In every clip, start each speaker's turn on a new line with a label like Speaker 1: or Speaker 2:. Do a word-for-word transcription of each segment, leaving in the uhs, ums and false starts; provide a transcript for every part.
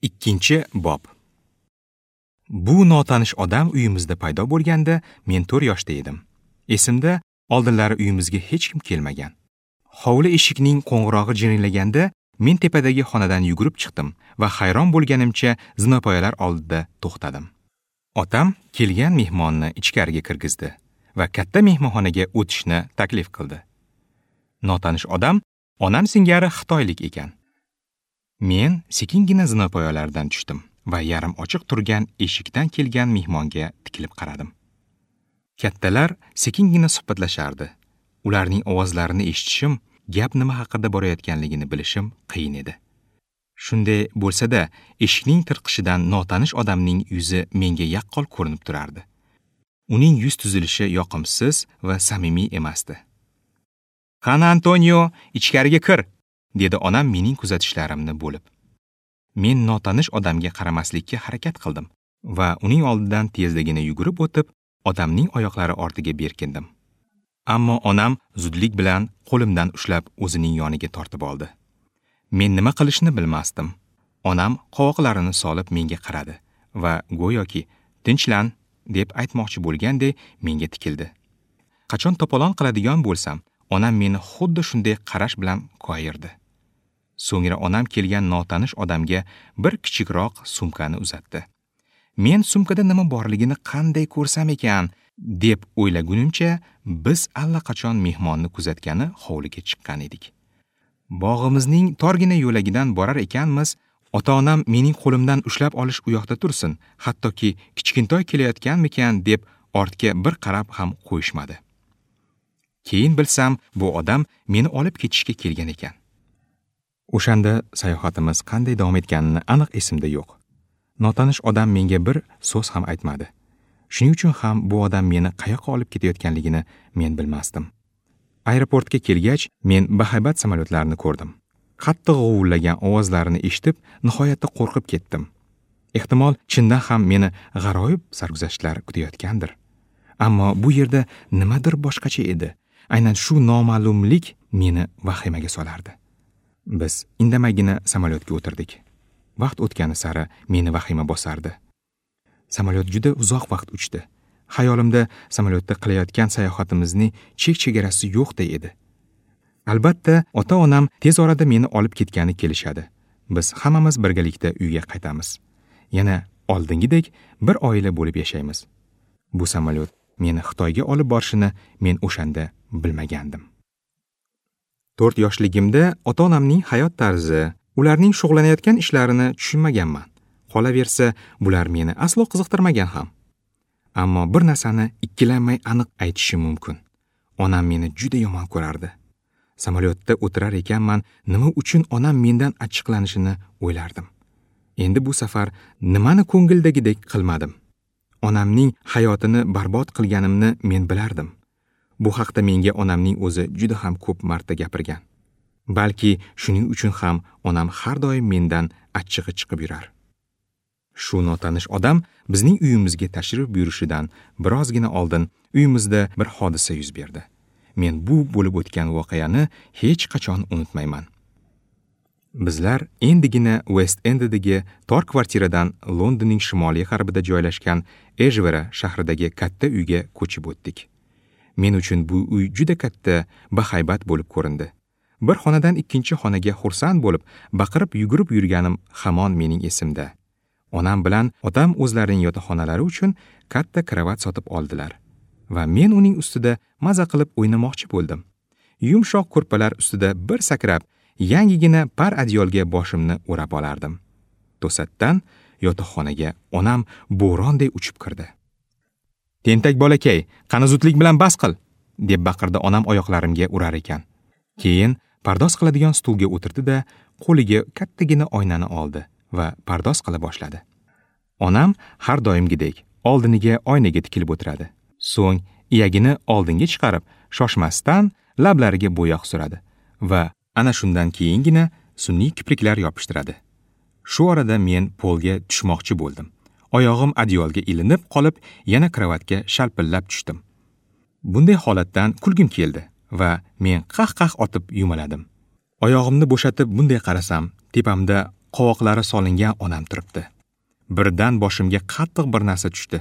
Speaker 1: Ikkinchi bob. Bu notanish odam uyimizda paydo bo'lganda men to'rt yoshda edim. Esimda, oldinlari uyimizga hech kim kelmagan. Hovli eshikning qo'ng'irog'i jiringlaganda men tepadagi xonadan yugurib chiqdim va hayron bo'lganimcha zinapoyalar oldida to'xtadim. Otam kelgan mehmonni ichkariga kirgizdi va katta mehmonxonaga o'tishni taklif qildi. Notanish odam onam singari xitoylik ekan. Men sekingina zinapoyalardan tushdim va yarim ochiq turgan eshikdan kelgan mehmonga tikilib qaradim. Kattalar sekingina suhbatlashardi. Ularning ovozlarini eshitishim, gap nima haqida borayotganligini bilishim qiyin edi. Shunday bo'lsa-da, eshikning tirqishidan notanish odamning yuzi menga yaqqol ko'rinib turardi. Uning yuz tuzilishi yoqimsiz va samimiy emasdi. "Qani Antonio, ichkariga kir", dedi onam mening kuzatishlarimni bo'lib. Men notanish odamga qaramaslikka harakat qildim va uning oldidan tezligini yugurib o'tib, odamning oyoqlari ortiga berkindim. Ammo onam zudlik bilan qo'limdan ushlab o'zining yoniga tortib oldi. Men nima qilishni bilmasdim. Onam qovoqlarini solib menga qaradi va go'yoki "Tinchlan" deb aytmoqchi bo'lganday menga tikildi. Qachon to'polon qiladigan bo'lsam, onam meni xuddi shunday qarash bilan koyirdi. So'ngra onam kelgan notanish odamga bir kichikroq sumkani uzatdi. Men sumkada nima borligini qanday ko'rsam ekan deb o'ylagunimcha, biz allaqachon mehmonni kuzatgani hovliga chiqqan edik. Bog'imizning torgina yo'lagidan borar ekanmiz, ota-onam mening qo'limdan ushlab olish u yoqda tursin, hattoki kichkintoy kelayotganmikan deb ortga bir qarab ham qo'yishmadi. Keyin bilsam, bu odam meni olib ketishga kelgan ekan. O'shanda sayohatimiz qanday davom etganini aniq esimda yo'q. Notanish odam menga bir so'z ham aytmadi. Shuning uchun ham bu odam meni qayoqqa olib ketayotganligini men bilmasdim. Aeroportga kelgach, men bahaybat samolyotlarni ko'rdim. Qattiq g'uvillagan ovozlarini eshitib, nihoyatda qo'rqib ketdim. Ehtimol, chindan ham meni g'aroyib sarguzashtlar kutayotgandir. Ammo bu yerda nimadir boshqacha edi. Aynan shu noma'lumlik meni vahimaga solardi. Biz indamaygina samolyotga o'tirdik. Vaqt o'tgani sari meni vahima bosardi. Samolyot juda uzoq vaqt uchdi. Xayolimda samolyotda qilayotgan sayohatimizning chek-chegarasi yo'qday edi. Albatta, ota-onam tez orada meni olib ketgani kelishadi. Biz hammamiz birgalikda uyga qaytamiz. Yana oldingidek bir oila bo'lib yashaymiz. Bu samolyot meni Xitoyga olib borishini men o'shanda bilmagandim. To'rt yoshligimda ota-onamning hayot tarzi, ularning shug'ullanayotgan ishlarini tushunmaganman. Qolaversa, bular meni aslo qiziqtirmagan ham. Ammo bir narsani ikkilanmay aniq aytishim mumkin. Onam meni juda yomon ko'rardi. Samolyotda o'tirar ekanman, nima uchun onam mendan achchiqlanishini o'ylardim. Endi bu safar nimani ko'ngildagidek qilmadim. Onamning hayotini barbod qilganimni men bilardim. Bu haqda menga onamning o'zi juda ham ko'p marta gapirgan. Balki shuning uchun ham onam har doim mendan achchig'i chiqib yurar. Shu notanish odam bizning uyimizga tashrif buyurishidan birozgina oldin uyimizda bir hodisa yuz berdi. Men bu bo'lib o'tgan voqeani hech qachon unutmayman. Bizlar endigina West Enddagi tor kvartiradan Londonning shimoliy g'arbida joylashgan Ejvera shahridagi katta uyga ko'chib o'tdik. Men uchun bu uy juda katta, bahaybat bo'lib ko'rindi. Bir xonadan ikkinchi xonaga xursand bo'lib, baqirib yugurib yurganim hamon mening esimda. Onam bilan otam o'zlarining yotoqxonalari uchun katta kravat sotib oldilar va men uning ustida maza qilib o'ynamoqchi bo'ldim. Yumshoq ko'rpalar ustida bir sakrab, yangigina par adyolga boshimni o'rab olardim. To'satdan yotoqxonaga onam bo'ronday uchib kirdi. "Tentak bolakay, qani zudlik bilan bas qil!" deb baqirdi onam oyoqlarimga urar ekan. Keyin pardoz qiladigan stulga o'tirdi-da, qo'liga kattagina oynani oldi va pardoz qila boshladi. Onam har doimgidek oldiniga oynaga tikilib o'tiradi. So'ng iyagini oldinga chiqarib, shoshmasdan lablariga bo'yoq suradi va ana shundan keyingina sun'iy kipriklar yopishtiradi. Shu orada men polga tushmoqchi bo'ldim. Oyog'im adyolga ilinib qolib, yana kravatga shalpillab tushdim. Bunday holatdan kulgim keldi va men qah-qah otib yumaladim. Oyog'imni bo'shatib bunday qarasam, tepamda qovoqlari solingan onam turibdi. Birdan boshimga qattiq bir narsa tushdi.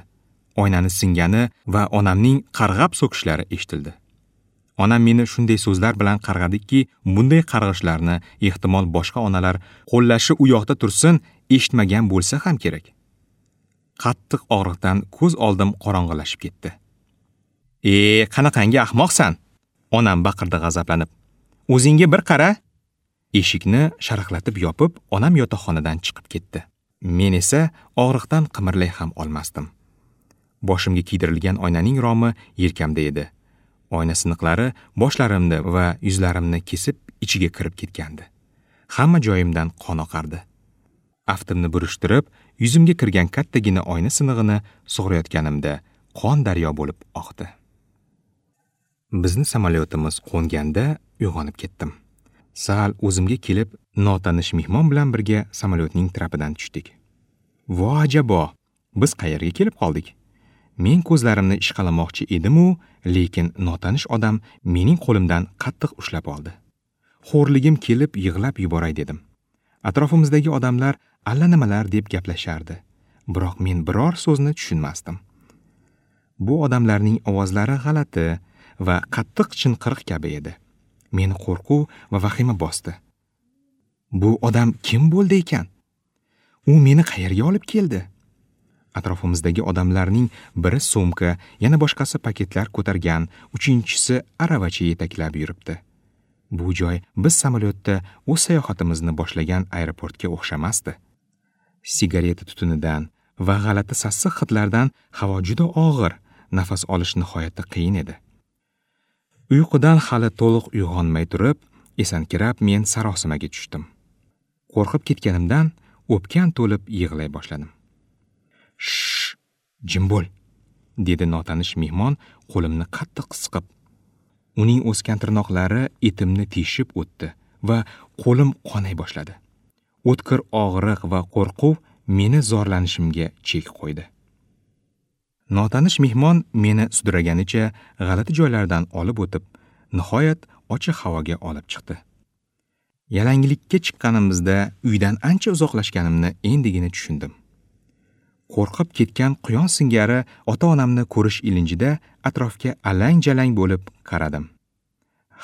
Speaker 1: Oynani singani va onamning qarg'ab so'kishlari eshitildi. Onam meni shunday so'zlar bilan qarg'adiki, bunday qarg'ishlarni ehtimol boshqa onalar qo'llashi u yoqda tursin, eshitmagan bo'lsa ham kerak. Qattiq og'riqdan ko'z oldim qorong'ilashib ketdi. "E, qanaqangi ahmoqsan?" Onam baqirdi g'azablanib. "O'zingga bir qara." Eshikni sharaqlatib yopib, onam yotoqxonadan chiqib ketdi. Men esa og'riqdan qimirlay ham olmasdim. Boshimga kiydirilgan oynaning romi yelkamda edi. Oyna siniqlari boshlarimni va yuzlarimni kesib ichiga kirib ketgandi. Hamma joyimdan qon oqardi. Aftimni burishtirib, yuzimga kirgan kattagina oyna sinig'ini sug'urayotganimda qon daryo bo'lib oqdi. Bizni samolyotimiz qo'nganda uyg'onib ketdim. Sal o'zimga kelib, notanish mehmon bilan birga samolyotning trapidan tushdik. Vo ajabo, biz qayerga kelib qoldik? Men ko'zlarimni ishqalamoqchi edim-u, lekin notanish odam mening qo'limdan qattiq ushlab oldi. Xo'rligim kelib yig'lab yuboray dedim. Atrofimizdagi odamlar allanimalar deb gaplashardi, biroq men biror so'zni tushunmasdim. Bu odamlarning ovozlari g'alati va qattiq chinqiriq kabi edi. Meni qo'rquv va vahima bosdi. Bu odam kim bo'ldi ekan? U meni qayerga olib keldi? Atrofimizdagi odamlarning biri sumka, yana boshqasi paketlar ko'targan, uchinchisi aravacha yetaklab yuribdi. Bu joy biz samolyotda o'z sayohatimizni boshlagan aeroportga o'xshamasdi. Sigareta tutunidan va g'alati sassiq hidlardan havo juda og'ir, nafas olish nihoyatda qiyin edi. Uyqudan hali to'liq uyg'onmay turib, esankirab men sarosimaga tushdim. Qo'rqib ketganimdan o'pkam to'lib yig'lay boshladim. "Shh, jim bo'l", dedi notanish mehmon qo'limni qattiq siqib. Uning o'sgan tirnoqlari etimni teshib o'tdi va qo'lim qonay boshladi. O'tkir og'riq va qo'rquv meni zorlanishimga chek qo'ydi. Notanish mehmon meni sudraganicha g'alati joylardan olib o'tib, nihoyat ochiq havoga olib chiqdi. Yalanglikka chiqqanimizda uydan ancha uzoqlashganimni endigina tushundim. Qo'rqib ketgan quyon singari ota-onamni ko'rish ilinjida atrofga alang-jalang bo'lib qaradim.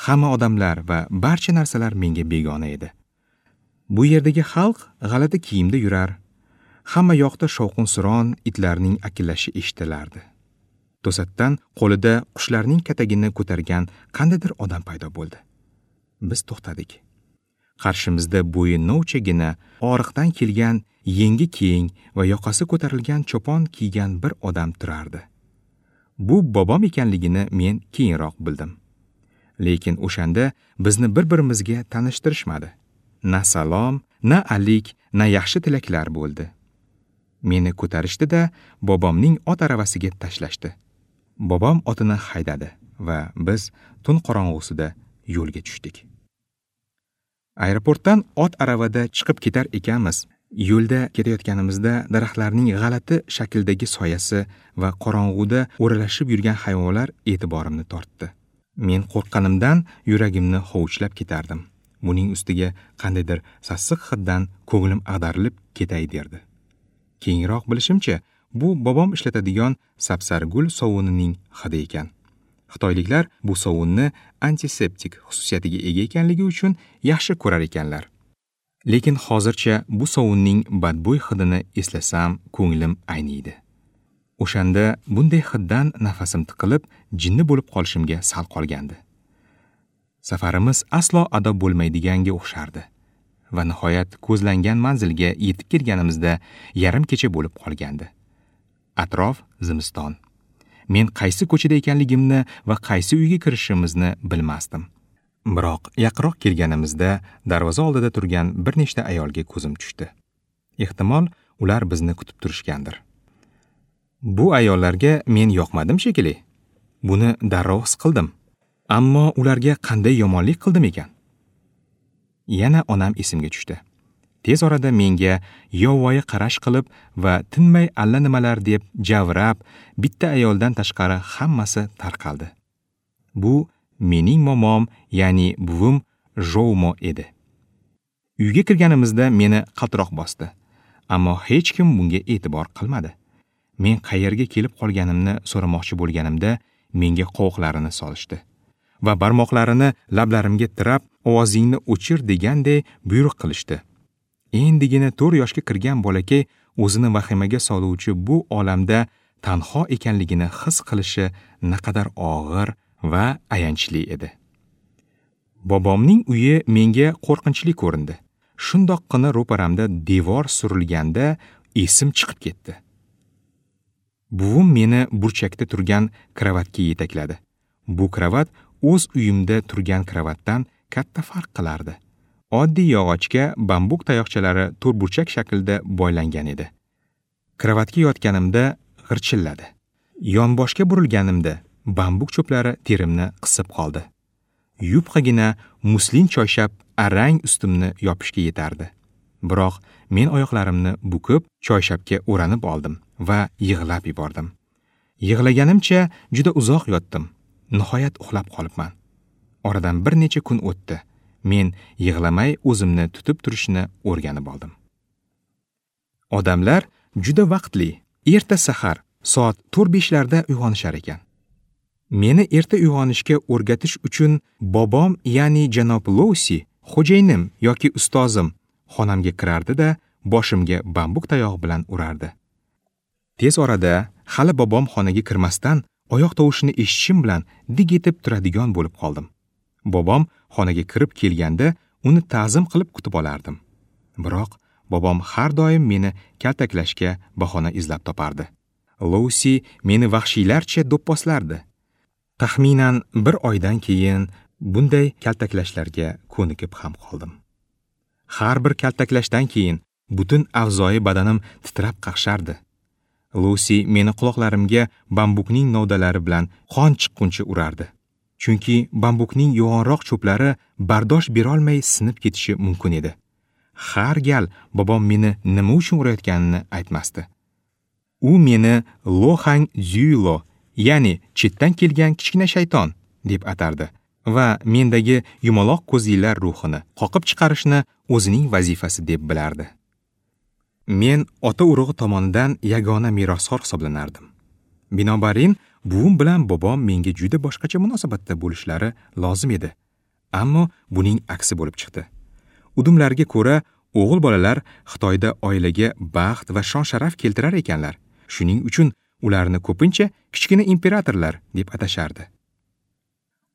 Speaker 1: Hamma odamlar va barcha narsalar menga begona edi. Bu yerdagi xalq g'alati kiyimda yurar. Hamma yoqda shovqin-suron, itlarning akillashi eshitilardi. To'satdan qo'lida qushlarning katagini ko'targan qandaydir odam paydo bo'ldi. Biz to'xtadik. Qarshimizda bo'yi novchagina, og'riqdan kelgan, yengi keng va yoqasi ko'tarilgan chopon kiygan bir odam turardi. Bu bobom ekanligini men keyinroq bildim. Lekin o'shanda bizni bir-birimizga tanishtirishmadi. Na salom, na alik, na yaxshi tilaklar bo'ldi. Meni ko'tarishdi-da, bobomning ot aravasiga tashlashdi. Bobom otini haydadi va biz tun qorong'usida yo'lga tushdik. Aeroportdan ot aravada chiqib ketar ekanmiz. Yo'lda ketayotganimizda daraxtlarning g'alati shakldagi soyasi va qorong'uda o'ralashib yurgan hayvonlar e'tiborimni tortdi. Men qo'rqqanimdan yuragimni hovuchlab ketardim. Buning ustiga qandaydir sassiq hiddan ko'nglim ag'darilib ketay derdi. Keyinroq bilishimcha, bu bobom ishlatadigan sapsargul sovunining hidi ekan. Xitoyliklar bu sovunni antiseptik xususiyatiga ega ekanligi uchun yaxshi ko'rar ekanlar. Lekin hozircha bu sovunning badbo'y hidini eslasam, ko'nglim ayniydi. O'shanda bunday hiddan nafasim tiqilib, jinni bo'lib qolishimga sal qolgandi. Safarimiz aslo ado bo'lmaydiganga o'xshardi. Va nihoyat ko'zlangan manzilga yetib kelganimizda yarim kecha bo'lib qolgandi. Atrof zimiston. Men qaysi ko'chada ekanligimni va qaysi uyga kirishimizni bilmasdim. Biroq yaqinroq kelganimizda darvoza oldida turgan bir nechta ayolga ko'zim tushdi. Ehtimol ular bizni kutib turishgandir. Bu ayollarga men yoqmadim shekilli. Buni darrov his qildim. Ammo ularga qanday yomonlik qildim ekan? Yana onam esimga tushdi. Tez orada menga yovvoyi qarash qilib va tinmay allanimalar deb javrab, bitta ayoldan tashqari hammasi tarqaldi. Bu mening momom, ya'ni buvim Joumo edi. Uyga kirganimizda meni qaltiroq bosdi. Ammo hech kim bunga e'tibor qilmadi. Men qayerga kelib qolganimni so'ramoqchi bo'lganimda menga qovoqlarini solishdi va barmoqlarini lablarimga tirab, ovozingni o'chir deganday buyruq qilishdi. Endigina to'rt yoshga kirgan bolakay o'zini vahimaga soluvchi bu olamda tanho ekanligini his qilishi naqadar og'ir va ayanchli edi. Bobomning uyi menga qo'rqinchli ko'rindi. Shundoqqina ro'paramda devor surilganda esim chiqib ketdi. Buvim meni burchakda turgan kravatga yetakladi. Bu kravat o'z uyimda turgan kravatdan katta farq qilardi. Oddiy yog'ochga bambuk tayoqchalari to'rtburchak shaklda boylangan edi. Kravatga yotganimda g'irchilladi. Yonboshga burilganimda bambuk cho'plari terimni qisib qoldi. Yupqagina muslin choyshab arang ustimni yopishga yetardi. Biroq men oyoqlarimni bukib choyshabga o'ranib oldim va yig'lab yubordim. Yig'laganimcha juda uzoq yotdim. Nihoyat uxlab qolibman. Oradan bir necha kun o'tdi. Men yig'lamay o'zimni tutib turishni o'rganib oldim. Odamlar juda vaqtli, erta sahar soat to'rt beshlarda uyg'onishar ekan. Meni erta uyg'onishga o'rgatish uchun bobom, ya'ni janob Lousi, xo'jayinim yoki ustozim xonamga kirardi-da, boshimga bambuk tayog'i bilan urardi. Tez orada hali bobom xonaga kirmasdan oyoq tovushini eshitishim bilan dik etib turadigan bo'lib qoldim. Bobom xonaga kirib kelganda uni ta'zim qilib kutib olardim. Biroq bobom har doim meni kaltaklashga bahona izlab topardi. Lousi meni vahshiylarcha do'pposlardi. Taxminan bir oydan keyin bunday kaltaklashlarga ko'nikib ham qoldim. Har bir kaltaklashdan keyin butun a'zoyi badanim titrab qaqshardi. Lusi meni quloqlarimga bambukning novdalari bilan qon chiqquncha urardi. Chunki bambukning yo'g'onroq cho'plari bardosh berolmay sinib ketishi mumkin edi. Har gal bobom meni nima uchun urayotganini aytmasdi. U meni Lohang Zyulo, ya'ni chetdan kelgan kichkina shayton deb atardi va mendagi yumaloq ko'zlilar ruhini qoqib chiqarishni o'zining vazifasi deb bilardi. Men ota urug'i tomonidan yagona merosxo'r hisoblanardim. Binobarin, buvim bilan bobom menga juda boshqacha munosabatda bo'lishlari lozim edi. Ammo buning aksi bo'lib chiqdi. Udumlarga ko'ra, o'g'il bolalar Xitoyda oilaga baxt va shon-sharaf keltirar ekanlar. Shuning uchun ularni ko'pincha kichkina imperatorlar deb atashardi.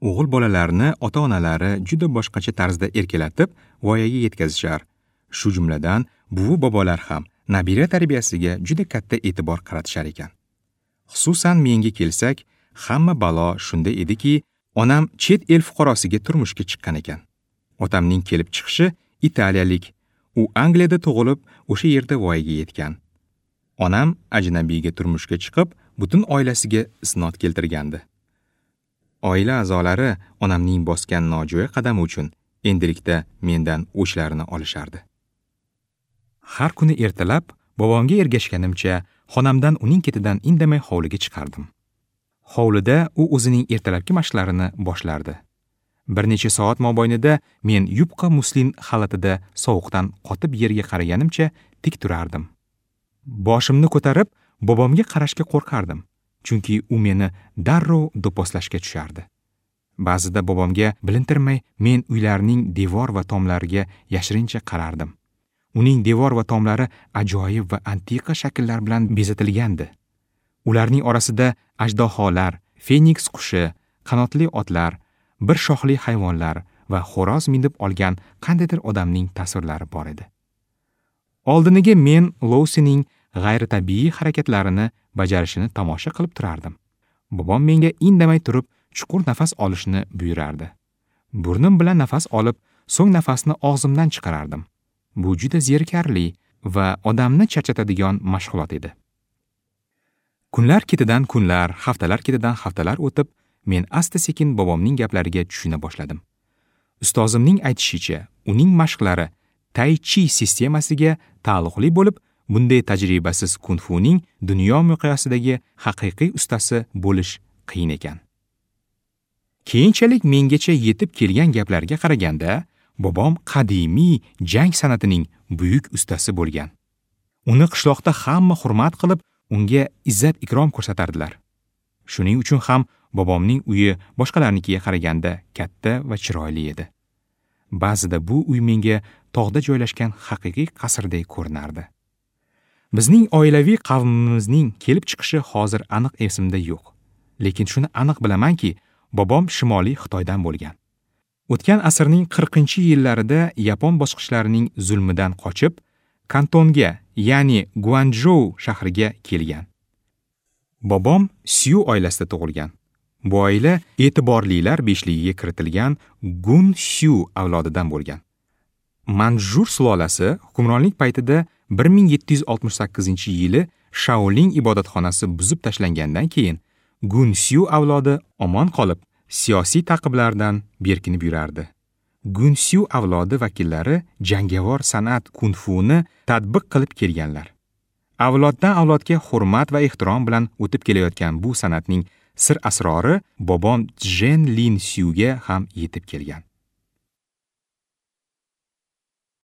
Speaker 1: O'g'il bolalarni ota-onalari juda boshqacha tarzda erkalatib, voyaga yetkazishar. Shu jumladan, buvi bobolar ham nabira tarbiyasiga juda katta e'tibor qaratishar ekan. Xususan menga kelsak, hamma balo shunda ediki, onam chet el fuqarosiga turmushga chiqqan ekan. Otamning kelib chiqishi italiyalik. U Angliyada tug'ilib, o'sha yerda voyaga yetgan. Onam ajnabiyga turmushga chiqib, butun oilasiga isnod keltirgandi. Oila a'zolari onamning bosgan nojo'ya qadami uchun endilikda mendan o'chlarini olishardi. Har kuni ertalab bobomga ergashganimcha xonamdan uning ketidan indamay hovliga chiqardim. Hovlida u o'zining ertalabki mashqlarini boshlardi. Bir necha soat mobaynida men yupqa muslin xalatida sovuqdan qotib yerga qaraganimcha tik turardim. Boshimni ko'tarib bobomga qarashga qo'rqardim, chunki u meni darrov do'pposlashga tushardi. Ba'zida bobomga bilintirmay men uylarning devor va tomlariga yashirincha qarardim. Uning devor va tomlari ajoyib va antiqa shakllar bilan bezatilgandi. Ularning orasida ajdaholar, feniks qushi, qanotli otlar, bir shoxli hayvonlar va xo'roz minib olgan qandaydir odamning tasvirlari bor edi. Oldiniga men Lousining g'ayritabiiy harakatlarini bajarishini tomosha qilib turardim. Bobom menga indamay turib chuqur nafas olishni buyurardi. Burnim bilan nafas olib, so'ng nafasni og'zimdan chiqarardim. Bu juda zerikarli va odamni charchatadigan mashg'ulot edi. Kunlar ketidan kunlar, haftalar ketidan haftalar o'tib, men asta-sekin bobomning gaplariga tushuna boshladim. Ustozimning aytishicha, uning mashqlari Tai Chi sistemasiga taalluqli bo'lib, bunday tajribasiz kung-funing dunyo miqyosidagi haqiqiy ustasi bo'lish qiyin ekan. Keyinchalik mengacha yetib kelgan gaplarga qaraganda, Bobom qadimiy jang san'atining buyuk ustasi bo'lgan. Uni qishloqda hamma hurmat qilib, unga izzat-ikrom ko'rsatardilar. Shuning uchun ham bobomning uyi boshqalarnikiga qaraganda katta va chiroyli edi. Ba'zida bu uy menga tog'da joylashgan haqiqiy qasrdek ko'rinardi. Bizning oilaviy qavmimizning kelib chiqishi hozir aniq esimda yo'q. Lekin shuni aniq bilamanki, bobom Shimoliy Xitoydan bo'lgan. O'tgan asrning qirqinchi yillarida yapon bosqichlarining zulmidan qochib, Kantonga, ya'ni Guanchjou shahriga kelgan. Bobom Syu oilasida tug'ilgan. Bu oila e'tiborlilar beshligiga kiritilgan Gun Syu avlodidan bo'lgan. Manjur sulolasi hukmronlik paytida bir ming yetti yuz oltmish sakkizinchi yili Shaolin ibodatxonasi buzib tashlangandan keyin Gun Syu avlodi omon qolib, siyosiy ta'qiblardan berkinib yurardi. Gun Syu avlodi vakillari jangovar san'at kung-funi tatbiq qilib kelganlar. Avloddan avlodga hurmat va ehtirom bilan o'tib kelayotgan bu san'atning sir asrori bobom Jen Lin Syuga ham yetib kelgan.